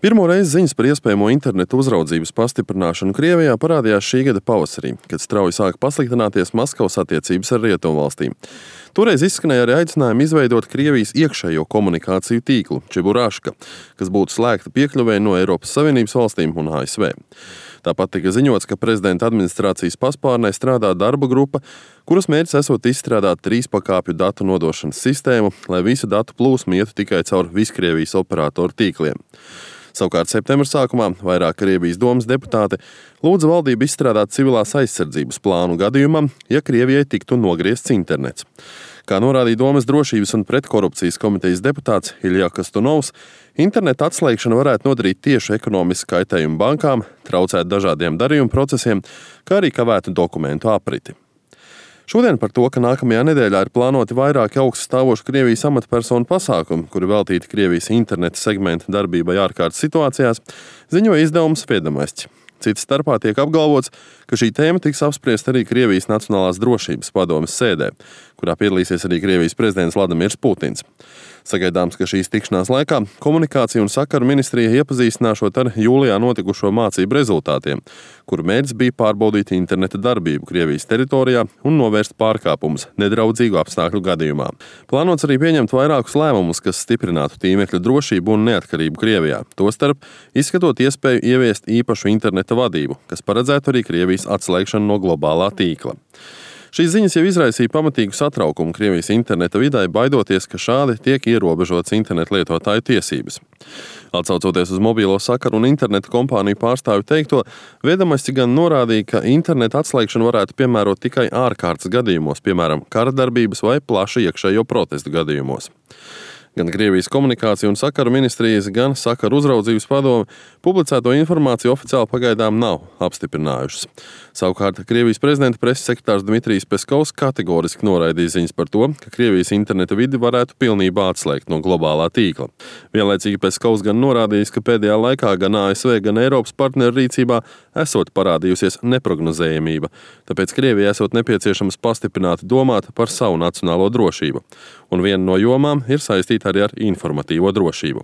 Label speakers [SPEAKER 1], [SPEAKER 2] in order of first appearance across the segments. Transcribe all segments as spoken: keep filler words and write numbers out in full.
[SPEAKER 1] Pirmo reizi ziņas par iespējamo internetu uzraudzības pastiprināšanu Krievijā parādījās šī gada pavasarī, kad strauji sāka pasliktināties Maskavas attiecības ar Rietumvalstīm. Toreiz izskanēja arī aicinājumi izveidot Krievijas iekšējo komunikāciju tīklu Čeburāška, kas būtu slēgta piekļuvēja no Eiropas Savienības valstīm un A S V. Tāpat tika ziņots, ka prezidenta administrācijas paspārnē strādā darba grupa, kuras mērķis esot izstrādāt trīspakāpju datu nodošanas sistēmu, lai visu datu plūsmu ietu tikai caur Viskrievijas operatoru tīkliem. Savukārt septembra sākumā vairāk Krievijas domas deputāti lūdza valdību izstrādāt civilās aizsardzības plānu gadījumam, ja Krievijai tiktu nogriezts internets. Kā norādīja Domas drošības un pretkorupcijas komitejas deputāts Ilja Kastunovs, interneta atslēgšana varētu nodarīt tieši ekonomisku kaitējumu bankām, traucēt dažādiem darījumu procesiem, kā arī kavētu dokumentu apriti. Šodien par to, ka nākamajā nedēļā ir plānoti vairāki augststāvoši Krievijas amatpersonu pasākumi, kuri veltīti Krievijas interneta segmenta darbībai ārkārtas situācijās, ziņoja izdevums Viedamests. Cits starpā tiek apgalvots, ka šī tēma tiks apspriest arī Krievijas Nacionālās drošības padomes sēdē, kurā piedalīsies arī Krievijas prezidents Vladimirs Putins. Sagaidāms, ka šīs tikšanās laikā komunikācija un sakaru ministrija iepazīstināšot ar jūlijā notikušo mācību rezultātiem, kuru mērķis bija pārbaudīt interneta darbību Krievijas teritorijā un novērst pārkāpumus nedraudzīgu apstākļu gadījumā. Plānots arī pieņemt vairākus lēmumus, kas stiprinātu tīmekļa drošību un neatkarību Krievijā, tostarp izskatot iespēju ieviest īpašu interneta vadību, kas paredzētu arī Krievijas atslēgšanu no globālā tīkla. Šīs ziņas jau izraisīja pamatīgu satraukumu Krievijas interneta vidē, baidoties, ka šādi tiek ierobežotas internetu lietotāju tiesības. Atsaucoties uz mobīlo sakaru un interneta kompāniju pārstāvju teikto, Viedamests gan norādīja, ka interneta atslēgšanu varētu piemērot tikai ārkārtas gadījumos, piemēram, kara darbības vai plaša iekšējo protestu gadījumos. Gan Krievijas komunikācija un sakaru ministrijas, gan sakaru uzraudzības padome publicēto informāciju oficiāli pagaidām nav apstiprinājušas. Savukārt Krievijas prezidenta preses sekretārs Dmitrijs Peskovs kategoriski noraidīja ziņas par to, ka Krievijas interneta vidi varētu pilnībā atslēgt no globālā tīkla. Vienlaicīgi Peskovs gan norādījis, ka pēdējā laikā gan A S V, gan Eiropas partneru rīcībā esot parādījusies neprognozējamība, tāpēc Krievijai esot nepieciešams pastiprināt domāt par savu nacionālo drošību. Un viena no jomām ir saistīta arī ar informatīvo drošību.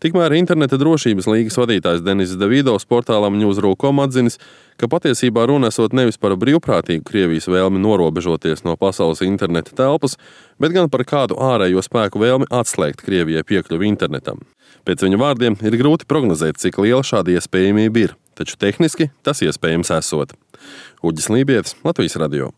[SPEAKER 1] Tikmēr interneta drošības līgas vadītājs Denis Davidovs portālam Newsru punktu com atzinis, ka patiesībā runa esot nevis par brīvprātīgu Krievijas vēlmi norobežoties no pasaules interneta telpas, bet gan par kādu ārējo spēku vēlmi atslēgt Krievijai piekļuvi internetam. Pēc viņa vārdiem ir grūti prognozēt, cik liela šāda iespējamība ir, taču tehniski tas iespējams esot. Uģis Lībietis, Latvijas radio.